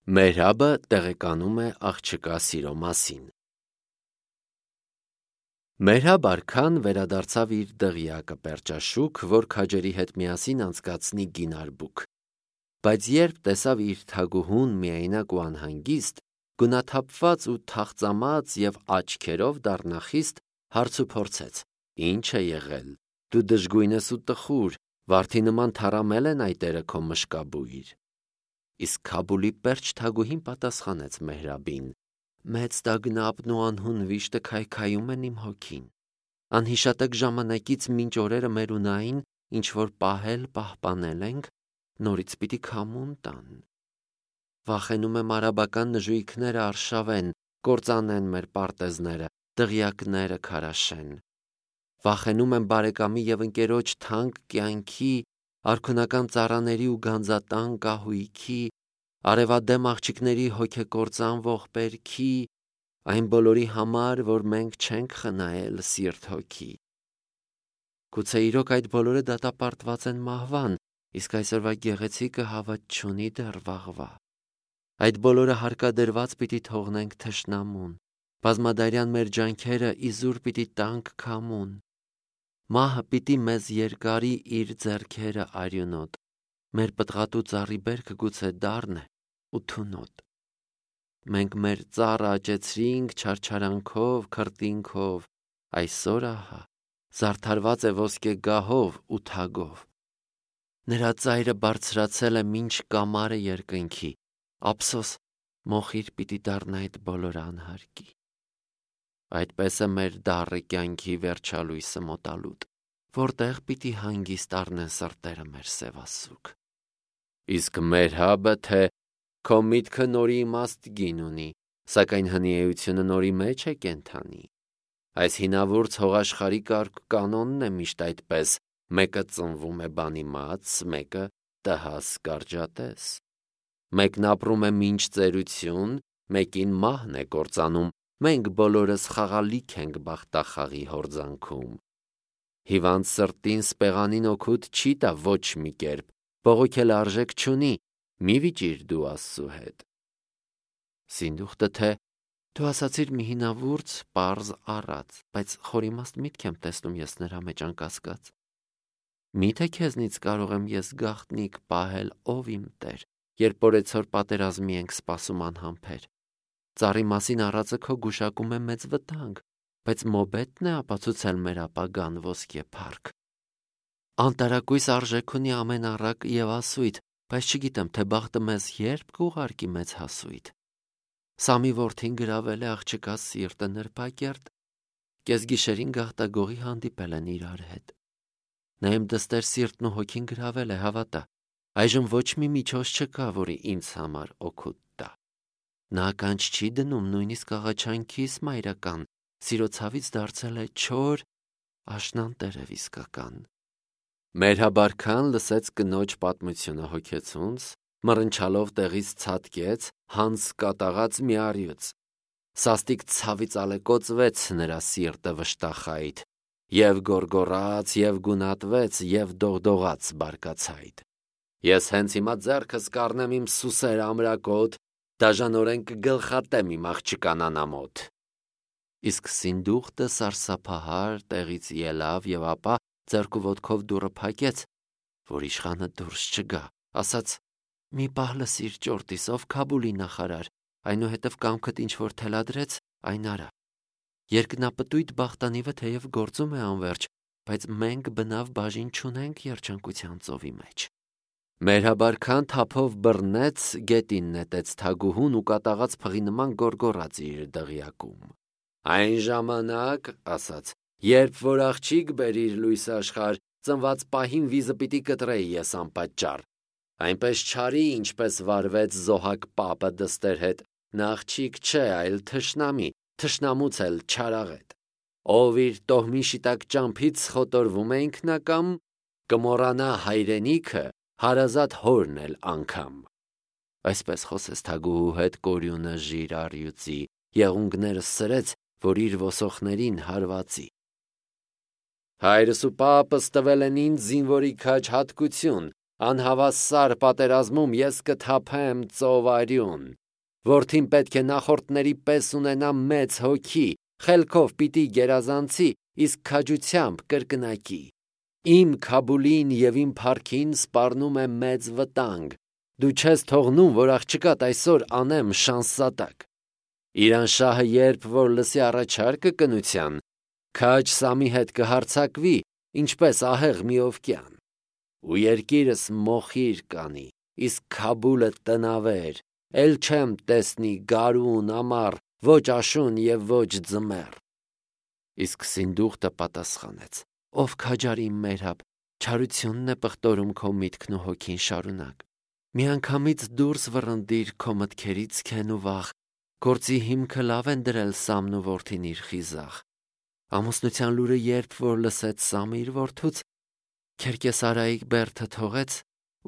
Մեհրաբը տեղեկանում է աղջկա սիրո մասին։ Մեհրաբ արքան վերադարձավ իր դղյակը Պերճաշուք, որ քաջերի հետ միասին անցկացնի գինարբուք։ Բայց երբ տեսավ իր թագուհուն միայնակ ու անհանգիստ, գունաթափված ու թախծամած եւ աչքերով դառնախիստ, հարց ու փորձեց. «Ինչ է եղել, դու դժգույն ես ու տխուր, վարդի նման թառամել են այտերը քո մշկաբույր»։ Իսկ Քաբուլի պերճ թագուհին պատասխանեց Մեհրաբին. «Մեծ տագնապն ու անհուն վիշտը քայքայում են իմ հոգին։ Անհիշատակ ժամանակից մինչ օրերը մերունային, ինչ որ պահպանել ենք, նորից պիտի քամուն տան։ Վախենում եմ արաբական նժույգները արշավեն, կործանեն մեր պարտեզները, դղյակները քարաշեն։ Վախենում եմ բարեկամի եւ ընկերոջ թանկ կյանքի, արքունական ծառաների ու գանձատան կահույքի, արևադեմ աղջիկների հոգեկործան ողբերքի, այն բոլորի համար, որ մենք չենք խնայել սիրտ հոգի։ Գուցե իրոք այդ բոլորը դատապարտված են մահվան, իսկ այսօրվա գեղեցիկը հավատ չունի դեռ վաղվա։ Այդ բոլորը հարկադրված պիտի թողնենք թշնամուն, բազմադարյան մեր ջանքերը իզուր պիտի տանք քամուն։ Մահը պիտի մեզ երկարի իր ձեռքերը արյունոտ, մեր պտղատու ծառի բերքը գուցե դառն է ու թունոտ։ Մենք մեր ծառը աճեցրինք չարչարանքով, քրտինքով, այսօր ահա զարդարված է ոսկե գահով ու թագով։ Նրա ծայրը բարձրացել է մինչ կամարը երկնքի, ափսոս մոխիր պիտի դառնա այդ բոլոր անհարկի։ Այդպես է մեր դառը կյանքի վերջալույսը մոտալուտ, որտեղ պիտի հանգիստ առնեն սրտերը մեր սևասուք։ Իսկ Մեհրաբը թե քո միտքը նորի իմաստ գին ունի, սակայն հնիեությունը նորի մեջ է կենթանի։ Այս հինավուրց հողաշխարհի կարգ կանոնն է միշտ այդպես. մեկը ծնվում է բանիմաց, մեկը տհաս կարճատես։ Մեկն ապրում է մինչ ծերություն, մեկին մահն է կործանում, մենք բոլորս խաղալիք ենք բախտախաղի հորձանքում։ Հիվանդ սրտին սպեղանին օգուտ չի տա ոչ մի կերպ, բողոքել արժեք չունի, մի վիճիր դու Աստծու հետ։ Սինդուխտը թե դու ասացիր մի հինավուրց պարզ առած, բայց խորիմաստ միտք եմ տեսնում ես նրա մեջ անկասկած։ Միթե քեզնից կարող եմ ես գաղտնիք պահել, ով իմ Տեր, երբ օրեցօր պատերազմի ենք սպասում անհամբեր։ Ծառի մասին առածը քո գուշակում է մեծ վտանգ, բայց մոբետն է ապացուցել մեր ապագան ոսկե փառք։ Անտարակույս արժեք ունի ամեն առակ եւ ասույթ, բայց չգիտեմ, թե բախտը մեզ երբ կուղարկի մեծ հասույթ։ Սամի որդին գրավել է աղջկա սիրտը նրբակերտ, կեսգիշերին գաղտագողի հանդիպել են իրար հետ։ Նա իմ դստեր սիրտն ու հոգին գրավել է, հավատա, այժմ ոչ մի միջոց չկա, որի ինձ համար օգուտ տա։ Նա ականջ չի դնում նույնիսկ աղաչանքիս մայրական, սիրո ցավից դարձել է չոր, աշնան տերև իսկական։ Մեհրաբ արքան լսեց կնոջ պատմությունը հոգեցունց, մռնչալով տեղից ցատկեց, հանց կատաղած մի առյուծ։ Սաստիկ ցավից ալեկոծվեց նրա սիրտը վշտախայտ, եւ գոռգոռաց, եւ գունատվեց, եւ դողդողաց բարկացայտ։ Ես հենց հիմա ձեռքս կառնեմ իմ սուսեր ամրակոտ, դաժանորեն կգլխատեմ իմ աղջկան անամոթ։ Իսկ Սինդուխտը սարսափահար տեղից ելավ եւ ապա ձեռքու ոտքով դուռը փակեց, որ իշխանը դուրս չգա, ասաց. «Մի պահ լսիր ճորտիս, ով Քաբուլի նախարար, այնուհետև կամքդ ինչ որ թելադրեց, այն արա։ Երկնապտույտ բախտանիվը թեև գործում է անվերջ, բայց մենք բնավ բաժին չունենք երջանկության ծովի մեջ»։ Մեհրաբ արքան թափով բռնեց, գետին նետեց թագուհուն ու կատաղած փղի նման գոռգոռաց իր դղյակում։ Այն ժամանակ, ասաց, երբ որ աղջիկ բերիր լույս աշխարհ, ծնված պահին վիզը պիտի կտրեի ես անպատճառ։ Այնպես չարի, ինչպես վարվեց Զոհակ պապը դստեր հետ, նա աղջիկ չէ, այլ թշնամի, թշնամուց էլ չարաղետ։ Ով իր տոհմի շիտակ ճամփից խոտորվում է ինքնակամ, կմոռանա հայրենիքը, հարազատ հորն էլ անգամ։ Այսպես խոսեց թագուհու հետ կորյունը ժիր առյուծի, եղունգները սրեց, որ իր ոսոխներին հարվածի։ Հայրս ու պապս տվել են ինձ զինվորի քաջ հատկություն, Անհավասար պատերազմում ես կթափեմ ծովարյուն։ Որդին պետք է նախորդների պես ունենա մեծ հոգի, խելքով պիտի գերազանցի, իսկ քաջությամբ կրկնակի։ Իմ Քաբուլին և իմ փառքին սպառնում է մեծ վտանգ։ Դու չես թողնում, որ աղջկատ այսօր անեմ շանսատակ։ Իրանշահը երբ որ լսի առաջարկը կնության, քաջ Սամի հետ կհարձակվի, ինչպես ահեղ մի օվկյան։ Ու երկիրս մոխիր կանի, իսկ Քաբուլը տնավեր, էլ չեմ տեսնի գարուն, ամառ, ոչ աշուն և ոչ ձմեռ։ Իսկ Սինդուխտը պատասխանեց. Ով քաջար իմ Մերհաբ, չարությունն է պղտորում քո միտքն ու հոգին շարունակ։ Միանգամից դուրս վռնդիր քո մտքերից քեն ու վախ, գործի հիմքը լավ են դրել Սամն ու որդին իր խիզախ։ Ամուսնության լուրը երբ որ լսեց Սամը իր որդուց, Քերկեսարայի բերդը թողեց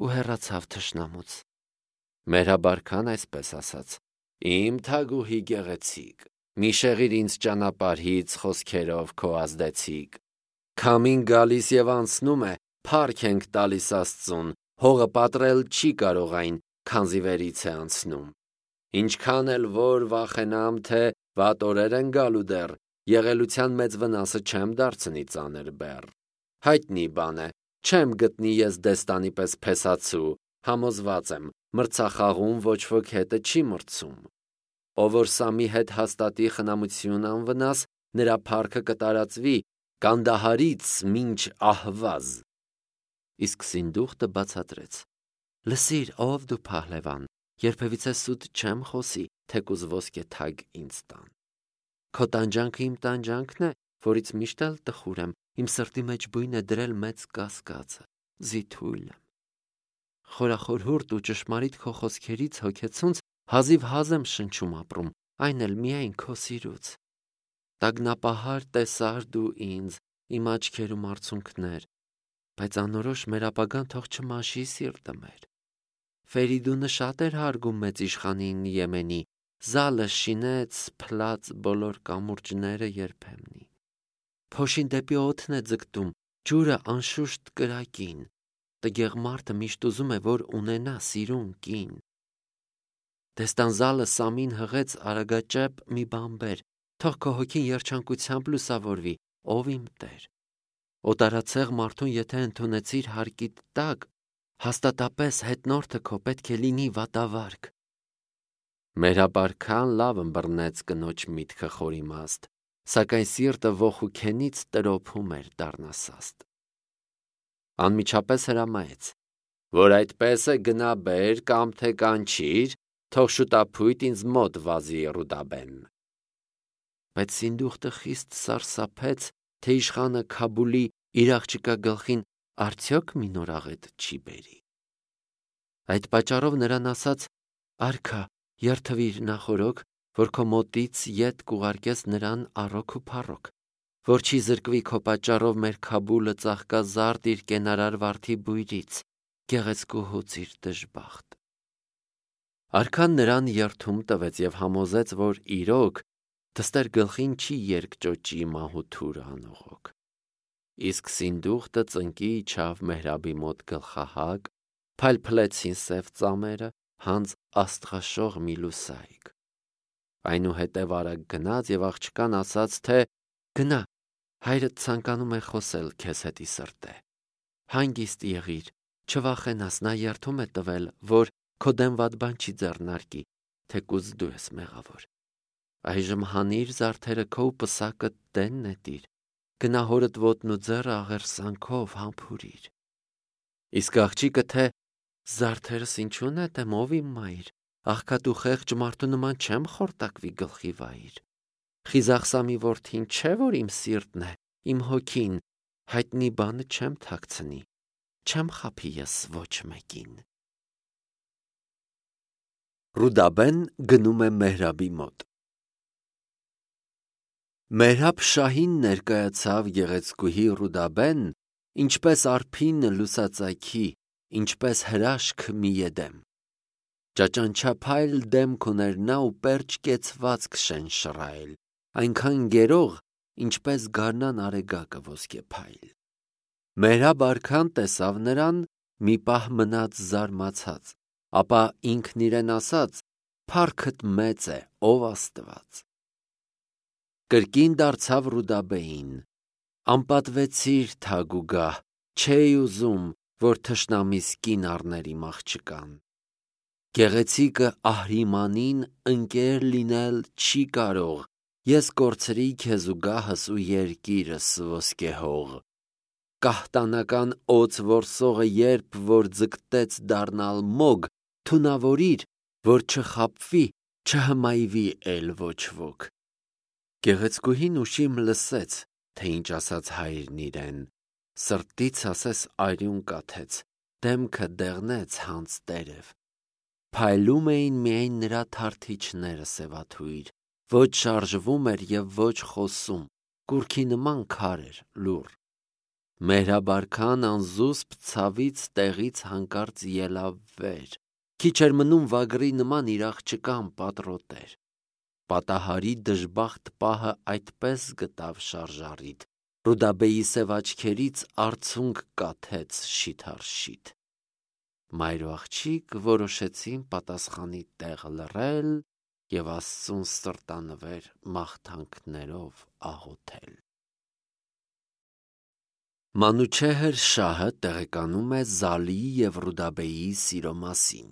ու հեռացավ թշնամուց։ Մերհաբ արքան այսպես ասաց. Իմ թագուհի գեղեցիկ, մի շեղիր ինձ ճանապարհից խոսքերով քո ազդեցիկ։ Քամին գալիս և անցնում է, փառք ենք տալիս Աստծուն, հողը պատռել չի կարող այն, քանզի վերից է անցնում։ Ինչքան էլ որ վախենամ, թե վատ օրեր են գալու դեռ, եղելության մեծ վնասը չեմ դարձնի ծանր բեռ։ Հայտնի բան է, չեմ գտնի ես դեստանի պես փեսացու, համոզված եմ, մրցախաղում ոչ ոք հետը չի մրցում։ Ով որ Սամի հետ հաստատի խնամություն անվնաս, նրա փառքը կտարածվի Կանդահարից մինչ Ահվազ։ Իսկ Սինդուխտը բացատրեց. Լսիր, ով դու փահլևան, երբևիցե սուտ չեմ խոսի, թեկուզ ոսկե թագ ինձ տան։ Քո տանջանքը իմ տանջանքն է, որից միշտ էլ տխուր եմ, իմ սրտի մեջ բույն է դրել մեծ կասկածը, զիթույլ եմ։ Խորախորհուրդ ու ճշմարիտ քո խոսքերից հոգեցունց հազիվ հազ եմ շնչում ապրում, այն էլ միայն քո սիրուց։ Տագնապահար տեսար դու ինձ, իմ աչքերում արցունքներ, բայց անորոշ մեր ապագան թող չմաշի սիրտը մեր։ Ֆերիդունը շատ էր հարգում մեծ իշխանին Եմենի, զալը շինեց, փլաց բոլոր կամուրջները երբեմնի։ Փոշին դեպի օդն է ձգտում, ջուրը անշուշտ կրակին, տգեղ մարդը միշտ ուզում է, որ ունենա սիրուն կին։ Դեստանզալը Սամին հղեց արագաճեպ մի բանբեր, թող քո հոգին երջանկությամբ լուսավորվի, ով իմ Տեր։ Օտարացեղ մարդուն եթե ընդունեցիր հարկիդ տակ, հաստատապես հետնորդը քո պետք է լինի վատավարք։ Մերհաբ արքան լավ ըմբռնեց կնոջ միտքը խորիմաստ, սակայն սիրտը ոխուքենից տրոփում էր դառնասաստ։ Անմիջապես հրամայեց, որ այդպես է գնա բեր կամ թե կանչիր, թող շուտափույթ ինձ մոտ վազի Ռուդաբեն։ Բայց Սինդուխտը խիստ սարսափեց, թե իշխանը Քաբուլի իր աղջկա գլխին արդյոք մի նոր աղետ չի բերի։ Այդ պատճառով նրան ասաց. Արքա, երթվիր նախորոք, որ քո մոտից ետ կուղարկես նրան առոք ու փառոք, որ չի զրկվի քո պատճառով մեր Քաբուլը ծաղկազարդ իր կենարար վարդի բույրից, գեղեցկուհուց իր դժբախտ։ Արքան նրան երթում տվեց և համոզեց, որ իրոք դստեր գլխին չի երկճոճի մահութուրը անողոք։ Իսկ Սինդուխտը ծնկի իջավ Մեհրաբի մոտ գլխահակ, փայլփլեցին սև ծամերը, հանց աստղաշող մի լուսայք։ Այնուհետև արագ գնաց և աղջկան ասաց, թե գնա, հայրդ ցանկանում է խոսել քեզ հետ ի սրտե։ Հանգիստ եղիր, չվախենաս, նա երդում է տվել, որ քո դեմ վատ բան չի ձեռնարկի, թեկուզ դու ես մեղավոր։ Այժմ հանիր զարդերը քո ու պսակը տեն նետիր, գնա հորդ ոտն ու ձեռը աղերսանքով համբուրիր։ Իսկ աղջիկը թե զարդերս ինչու նետեմ, ով իմ մայր, աղքատ ու խեղճ մարդու նման չեմ խորտակվի գլխի վայր։ Խիզախ Սամի որդին չէ, որ իմ սիրտն է, իմ հոգին, հայտնի բանը չեմ թաքցնի, չեմ խաբի ես ոչ մեկին։ Ռուդաբեն գնում է Մեհրաբի մոտ։ Մեհրաբ շահին ներկայացավ գեղեցկուհի Ռուդաբեն, ինչպես արփին լուսածայքի, ինչպես հրաշք մի եդեմ։ Ճաճանչափայլ դեմք ուներ նա ու պերճ կեցվածք շենշռայլ, այնքան գերող, ինչպես գարնան արեգակը ոսկեփայլ։ Մեհրաբ արքան տեսավ նրան, մի պահ մնաց զարմացած, ապա ինքն իրեն ասաց. «Փառքդ մեծ է, ով Աստված»։ Կրկին դարձավ Ռուդաբեին. «Անպատվեցիր թագուգահ, չէի ուզում, որ թշնամիս կին առներ իմ աղջկան։ Գեղեցիկը Ահրիմանին ընկեր լինել չի կարող, ես կորցրի քեզ ու գահս ու երկիրս ոսկեհող։ Կահտանական օձ որսողը երբ որ ձգտեց դառնալ մոգ, թունավորիր, որ չխաբվի, չհմայվի էլ ոչ ոք»։ Գեղեցկուհին ուշիմ լսեց, թե ինչ ասաց հայրն իրեն, սրտից ասես արյուն կաթեց, դեմքը դեղնեց հանց տերև։ Փայլում էին միայն նրա թարթիչները սևաթույր, ոչ շարժվում էր և ոչ խոսում, կուռքի նման քար էր, լուռ։ Մեհրաբարքան անզուսպ ցավից տեղից հանկարծ ելավ վեր, քիչ էր մնում վագրի նման իր աղջկան պատռոտեր։ Պատահարի դժբախտ պահը այդպես գտավ շարժառիթ, Ռուդաբեի սև աչքերից արցունք կաթեց շիթ-առ-շիթ։ Մայր ու աղջիկ որոշեցին պատասխանի տեղ լռել և Աստծուն սրտանվեր մաղթանքներով աղոթել։ Մանուչեհր շահը տեղեկանում է Զալիի և Ռուդաբեի սիրո մասին։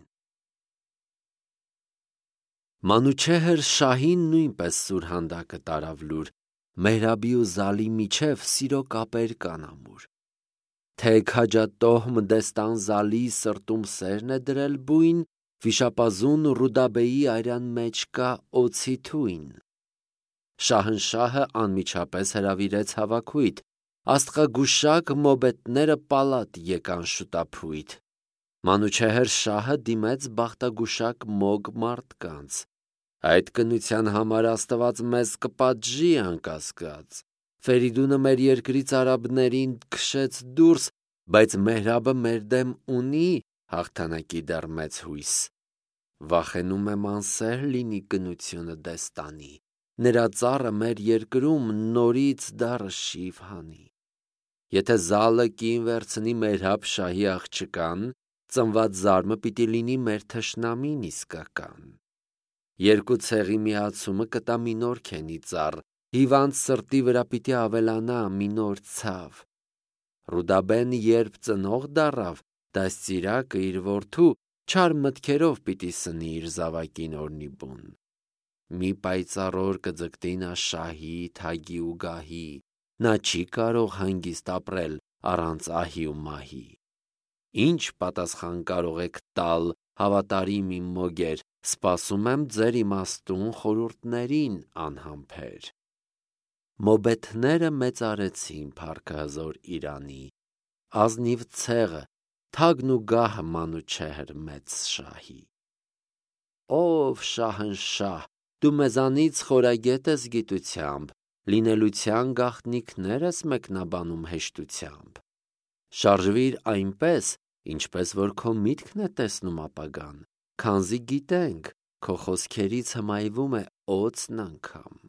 Մանուչեհր շահին նույնպես սուրհանդակը տարավ լուր, Մեհրաբի ու Զալի միջև սիրո կապեր կան ամուր։ Թե քաջատոհ Մդեստան Զալիի սրտում սերն է դրել բույն, վիշապազուն Ռուդաբեի արյան մեջ կա օձի թույն։ Շահնշահը անմիջապես հրավիրեց հավաքույթ, աստղագուշակ մոբետները պալատ եկան շուտափույթ։ Մանուչեհր շահը դիմեց բախտագուշակ մոգ մարդկանց. «Այդ կնության համար Աստված մեզ կպատժի անկասկած։ Ֆերիդունը մեր երկրից արաբներին քշեց դուրս, բայց Մեհրաբը մեր դեմ ունի հաղթանակի դեռ մեծ հույս։ Վախենում եմ անսեր լինի կնությունը Դեստանի, նրա ծառը մեր երկրում նորից դառը շիվ հանի։ Եթե Զալը կին վերցնի Մեհրաբ շահի աղջկան, ծնված զարմը պիտի լինի մեր թշնամին իսկական։ Երկու ցեղի միացումը կտա մի նոր քենի ծառ, հիվանդ սրտի վրա պիտի ավելանա մի նոր ցավ։ Ռուդաբեն երբ ծնող դառավ, դաստիարակը իր որդու չար մտքերով պիտի սնի իր զավակին օրնի բուն։ Մի պայծառ օր կձգտի նա շահի, թագի ու գահի, նա չի կարող հանգիստ ապրել առանց ահի ու մահի։ Ինչ պատասխան կարող եք տալ, հավատարիմ իմ մոգեր, սպասում եմ ձեր իմաստուն խորհուրդներին անհամբեր։ Մոբեթները մեծարեցին փառքը հզոր Իրանի, ազնիվ ցեղը, թագն ու գահը Մանուչեհր մեծ շահի։ Ով շահնշահ, դու մեզանից խորագետ ես գիտությամբ, լինելության գաղտնիքներ ես մեկնաբանում հեշտությամբ։ Շարժվիր այնպես, ինչպես որ քո միտքն է տեսնում ապագան, քանզի գիտենք, քո խոսքերից հմայվում է օձն անգամ։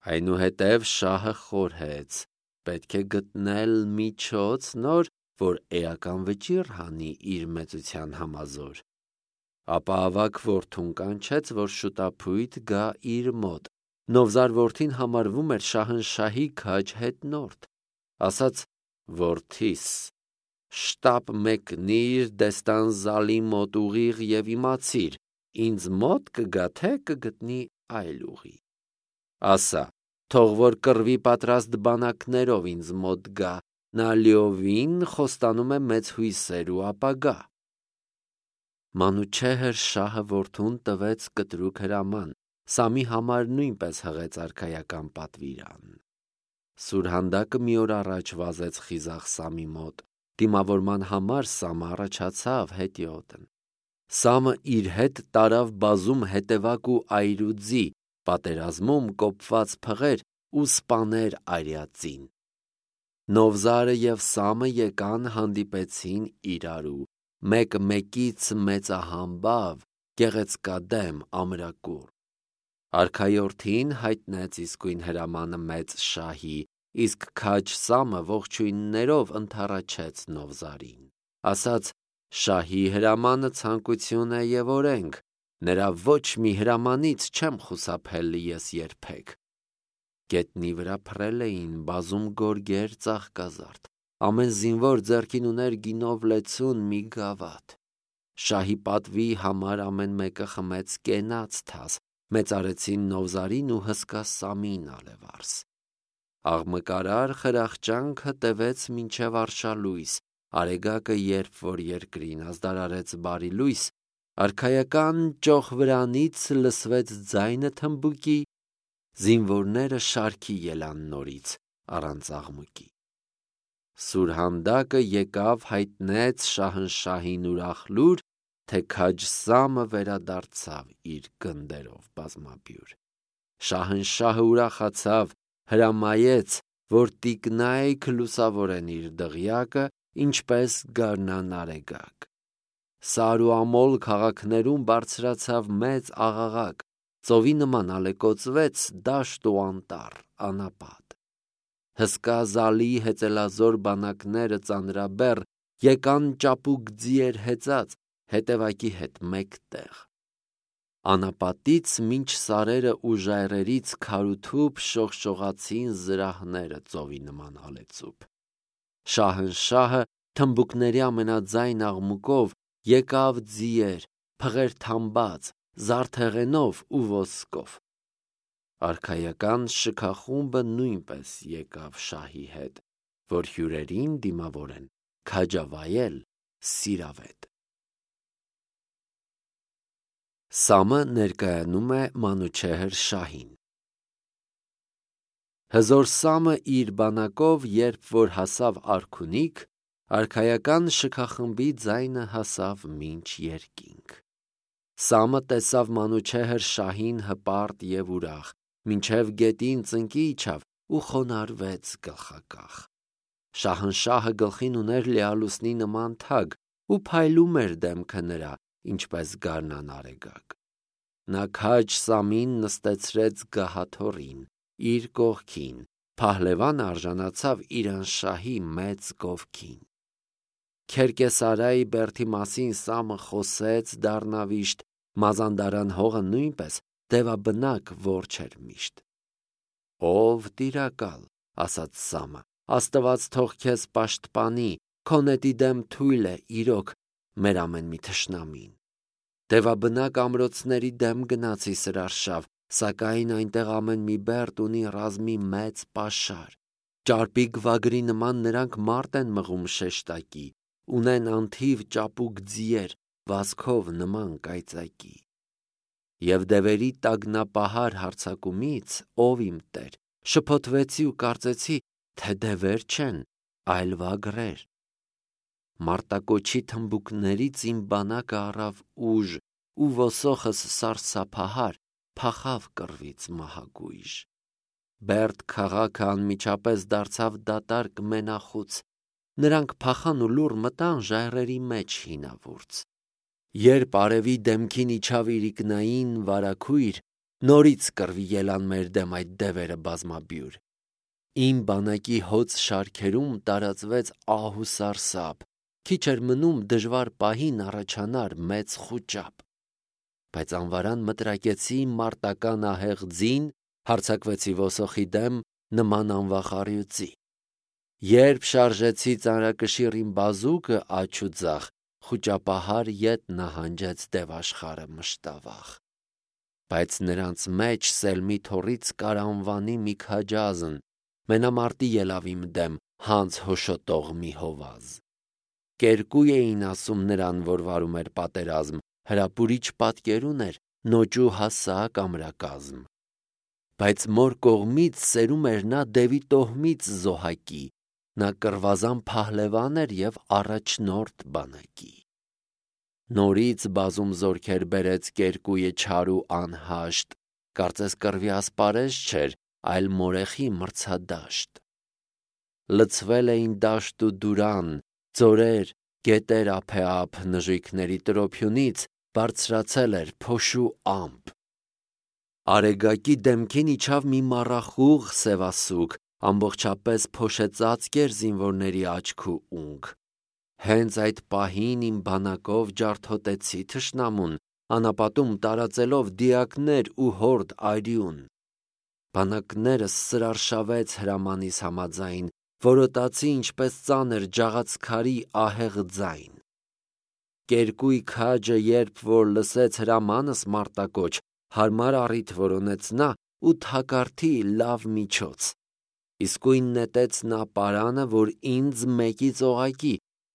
Այնուհետև շահը խորհեց, պետք է գտնել միջոց նոր, որ էական վճիռ հանի իր մեծության համազոր։ Ապա ավագ որդուն կանչեց, որ շուտափույթ գա իր մոտ։ Նովզար որդին համարվում էր շահնշահի քաջ հետնորդ։ Ասաց. «Որդիս, շտապ մեկնիր Դեստան Զալի մոտ ուղիղ և իմացիր, ինձ մոտ կգա, թե կգտնի այլ ուղի։ Ասա, թող որ կռվի պատրաստ բանակներով ինձ մոտ գա, նա լիովին խոստանում է մեծ հույսեր ու ապագա»։ Մանուչեհր շահը որդուն տվեց կտրուկ հրաման, Սամի համար նույնպես հղեց արքայական պատվիրան։ Սուրհանդակը մի օր առաջ վազեց խիզախ Սամի մոտ, դիմավորման համար Սամը առաջացավ հետիոտն։ Սամը իր հետ տարավ բազում հետևակ ու այրուձի, պատերազմում կոպված փղեր ու սպաներ արյածին։ Նովզարը և Սամը եկան հանդիպեցին իրարու, մեկ մեկից մեծահամբավ, գեղեցկադեմ, ամրակուռ։ Արքայորդին հայտնեց իսկույն հրամանը մեծ շահի, իսկ քաջ Սամը ողջույններով ընդառաջեց Նովզարին։ ասաց. «Շահի հրամանը ցանկություն է և օրենք, նրա ոչ մի հրամանից չեմ խուսափել ես երբեք»։ Գետնի վրա փռել էին բազում գորգեր ծաղկազարդ, ամեն զինվոր ձեռքին ուներ գինով լեցուն մի գավաթ։ Շահի պատվի համար ամեն մեկը խմեց կենաց թաս, մեծարեցին Նովզարին ու հսկա Սամին ալեվարս։ Աղմկարար խրախճանքը տևեց մինչև արշալույս, արեգակը երբ որ երկրին ազդարարեց բարի լույս, արքայական ճոխվրանից լսվեց ձայնը թմբուկի, զինվորները շարքի ելան նորից առանց աղմուկի։ Սուրհանդակը եկավ հայտնեց Շահնշահին ուրախ լուր, թե քաջ Սամը վերադարձավ իր գնդերով բազմաբյուր։ Շահնշահը ուրախացավ, հրամայեց, որ տիկնայք լուսավորեն իր դղյակը, ինչպես գարնան արեգակ։ Սար ու Ամոլ քաղաքներում բարձրացավ մեծ աղաղակ, ծովի նման ալեկոծվեց դաշտ ու անտառ, անապատ։ Հսկա զալի հեծելազոր բանակները ծանրաբեռ եկան ճապուկ ձիեր հեծած, հետևակի հետ մեկտեղ։ Անապատից մինչ սարերը ու ժայռերից քարութուփ շողշողացին զրահները ծովի նման հալեցուփ։ Շահնշահը թմբուկների ամենաձայն աղմուկով եկավ ձիեր, փղեր թամբած, զարդեղենով ու ոսկով։ Արքայական շքախումբը նույնպես եկավ շահի հետ, որ հյուրերին դիմավորեն քաջավայել սիրավետ։ Սամը ներկայանում է Մանուչեհր շահին։ Հզոր Սամը իր բանակով երբ որ հասավ արքունիք, արքայական շքախմբի ձայնը հասավ մինչ երկինք։ Սամը տեսավ Մանուչեհր շահին հպարտ և ուրախ, մինչև գետին ծնկի իջավ ու խոնարհվեց գլխակախ։ Շահնշահը գլխին ուներ լիալուսնի նման թագ ու փայլում էր դեմքը նրա, ինչպես գարնան արեգակ։ Նա քաջ Սամին նստեցրեց գահաթոռին, իր կողքին, փահլևանը արժանացավ իր անշահի մեծ գովքին։ Քերկեսարայի բերդի մասին Սամը խոսեց դառնավիշտ, Մազանդարան հողը նույնպես դևաբնակ որջ էր միշտ։ Ով տիրակալ, ասաց Սամը, Աստված թող քեզ պաշտպանի, քո նետի դեմ թույլ է իրոք մեր ամեն մի թշնամին։ Դևաբնակ ամրոցների դեմ գնացի սրարշավ, սակայն այնտեղ ամեն մի բերդ ունի ռազմի մեծ պաշար։ Ճարպի գվագրի նման նրանք մարդ են մղում շեշտակի, ունեն անթիվ ճապուկ ձիեր, վազքով նման կայծակի։ Եվ դևերի տագնապահար հարձակումից, ով իմ Տեր, շփոթվեցի ու կարծեցի, թե դևեր չեն, այլ վագրեր։ Մարտակոչի թմբուկներից իմ բանակը առավ ուժ, ու ոսոխս սարսափահար փախավ կռվից մահագույժ։ Բերդ քաղաքը անմիջապես դարձավ դատարկ մենախուց, նրանք փախան ու լուռ մտան ժայռերի մեջ հինավուրց։ Երբ արևի դեմքին իջավ իրիկնային վարագույր, նորից կռվի ելան մեր դեմ այդ դևերը բազմաբյուր։ Իմ բանակի հոծ շարքերում տարածվեց ահ ու սարսափ, քիչ էր մնում դժվար պահին առաջանար մեծ խուճապ։ Բայց անվարան մտրակեցի մարտական ահեղ ձին, հարձակվեցի ոսոխի դեմ նման անվախ առյուծի։ Երբ շարժեցի ծանրակշիռ իմ բազուկը աջ ու ձախ, խուճապահար ետ նահանջեց դևաշխարը մշտավախ։ Բայց նրանց մեջ Սելմի թոռից կարանվանի մի քաջազն, մենամարտի ելավ իմ դեմ հանց հոշոտող մի հովազ։ Կերկու էին ասում նրան, որ վարում էր պատերազմ, հրապուրիչ պատկեր ուներ, նոճու հասակ ամրակազմ։ Բայց մոր կողմից սերում էր նա դևի տոհմից զոհակի, նա կռվազան փահլևան էր և առաջնորդ բանակի։ Նորից բազում զորքեր բերեց Կերկույը չար ու անհաշտ, կարծես կռվի ասպարեզ չէր, այլ մորեխի մրցադաշտ։ Լցվել էին դաշտ ու դուրան, ձորեր, գետեր ափեափ, նժույգների տրոփյունից բարձրացել էր փոշու ամպ։ Արեգակի դեմքին իջավ մի մառախուղ սևասուգ, ամբողջապես փոշեցածկ էր զինվորների աչք ու ունք։ Հենց այդ պահին իմ բանակով ջարդոտեցի թշնամուն, անապատում տարածելով դիակներ ու հորդ արյուն։ Բանակներս սրարշավեց հրամանիս համաձայն, որոտացի ինչպես ծանր ջաղացքարի ահեղ ձայն։ Կերկույ քաջը երբ որ լսեց հրամանս մարտակոչ, հարմար առիթ որոնեց նա ու թակարդի լավ միջոց։ Իսկույն նետեց նա պարանը, որ ինձ մեկից օղակի,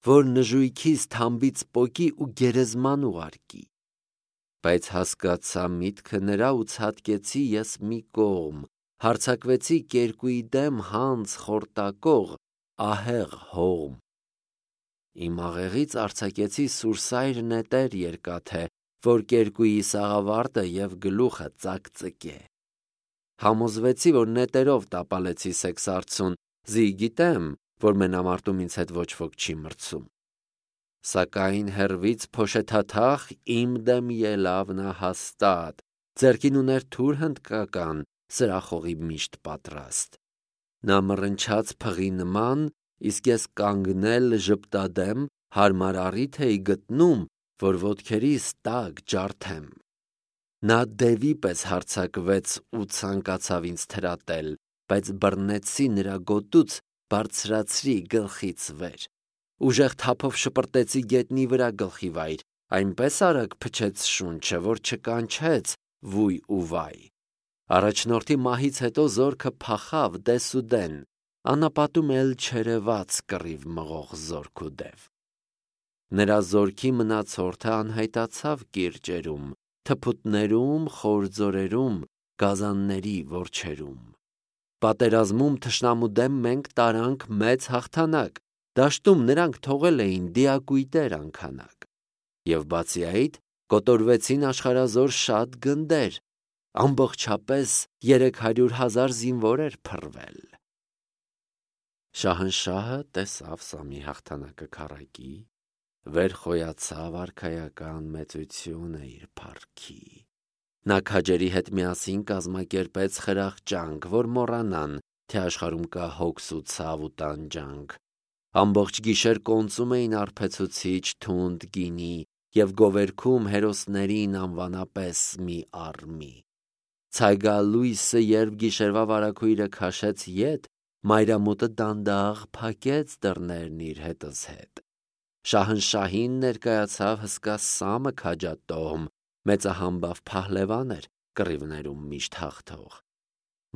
որ նժույքիս թամբից պոկի ու գերեզման ուղարկի։ Բայց հասկացա միտքը նրա ու ցատկեցի ես մի կողմ, հարձակվեցի կերկուի դեմ հանց խորտակող ահեղ հողմ։ Իմ աղեղից արձակեցի սուրսայր նետեր երկաթե, որ կերկուի սաղավարտը և գլուխը ծակծկե։ Համոզվեցի, որ նետերով տապալեցի սեքսարցուն, զի գիտեմ, որ մենամարտում ինձ հետ ոչ ոք չի մրցում։ Սակայն հեռվից փոշեթաթախ իմ դեմ ելավ նա հաստատ, ձեռքին ուներ թուր հնդկական, սրախողի միշտ պատրաստ։ Նա մռնչաց փղի նման, իսկ ես կանգնել ժպտադեմ, հարմար առիթ էի գտնում, որ ոտքերիս տակ ջարդեմ։ Նա դևի պես հարձակվեց ու ցանկացավ ինձ թրատել, բայց բռնեցի նրա գոտուց, բարձրացրի գլխից վեր։ Ուժեղ թափով շպրտեցի գետնի վրա գլխի վայր, այնպես արագ փչեց շունչը, որ չկանչեց վույ ու վայ։ Առաջնորդի մահից հետո զորքը փախավ դեսուդեն, անապատում էլ չերևաց կռիվ մղող զորք ու դև։ Նրա զորքի մնացորդը անհայտացավ կիրճերում, թփուտներում, խորձորերում, գազանների որջերում։ Պատերազմում թշնամու դեմ մենք տարանք մեծ հաղթանակ, դաշտում նրանք թողել էին դիակույտեր անքանակ։ Եվ բացի այդ, կոտորվեցին աշխարհազոր շատ գնդեր, ամբողջապես 300,000 զինվոր էր փռվել։ Շահնշահը տեսավ Սամի հաղթանակը քառակի, վեր խոյացավ արքայական մեծությունը իր փառքի։ Նա քաջերի հետ միասին կազմակերպեց խրախճանք, որ մոռանան, թե աշխարհում կա հոգս ու ցավ ու տանջանք։ Ամբողջ գիշեր կոնծում էին արբեցուցիչ թունդ գինի և գովերգում հերոսներին անվանապես մի առ մի։ Ցայգալույսը երբ գիշերվա վարագույրը քաշեց ետ, մայրամուտը դանդաղ փակեց դռներն իր հետս հետ։ Շահնշահին ներկայացավ հսկա Սամը քաջատոհմ, մեծահամբավ փահլևան էր, կռիվներում միշտ հաղթող։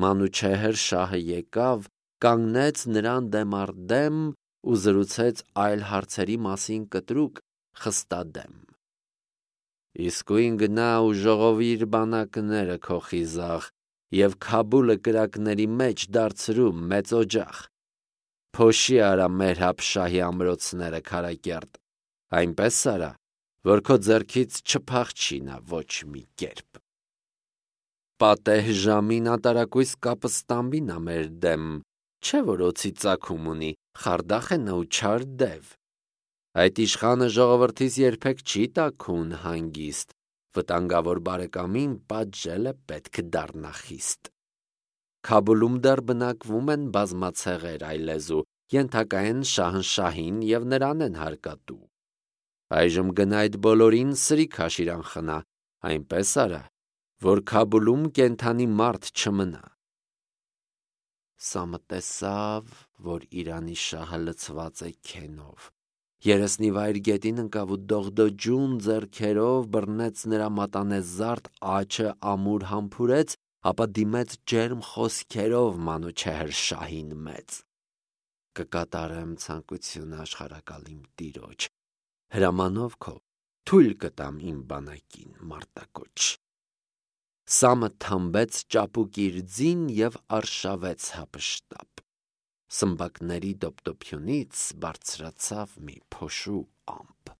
Մանուչեհր շահը եկավ, կանգնեց նրան դեմ առ դեմ ու զրուցեց այլ հարցերի մասին կտրուկ, խստադեմ։ Իսկույն գնա ու ժողովիր բանակները քո խիզախ և Քաբուլը կրակների մեջ դարձրու մեծ օջախ։ Փոշի արա մեր հապշահի ամրոցները քարակերտ, այնպես արա, որ քո ձեռքից չփախչի նա ոչ մի կերպ։ Պատեհ ժամին անտարակույս կապը ստամբի նա մեր դեմ, չէ որ օձի ծագում ունի, խարդախ է նա ու չար դև։ Այդ իշխանը ժողովրդից երբեք չի տաքուն հանգիստ, վտանգավոր բարեկամին պատժելը պետք դառնա խիստ։ Քաբուլում դեռ բնակվում են բազմացեղեր այլեզու, ենթակա են Շահնշահին և նրան են հարկատու։ Այժմ գնա այդ բոլորին սրի քաշիր անխնա, այնպես արա, որ Քաբուլում կենդանի մարդ չմնա։ Սամը տեսավ, որ Իրանի շահը լցված է քենով։ Երեսնիվայր գետին ընկավ ու դողդոջուն ձեռքերով բռնեց նրա մատանեզարդ աջը ամուր համբուրեց, ապա դիմեց ջերմ խոսքերով Մանուչեհր շահին մեծ. «Կկատարեմ ցանկությունը աշխարհակալիմ տիրոջ, հրամանով քո թույլ կտամ իմ բանակին մարտակոչ»։ Սամը թամբեց ճապուկ իր ձին և արշավեց հափշտապ։ Սմբակների դոպդոփյունից բարձրացավ մի փոշու ամպ։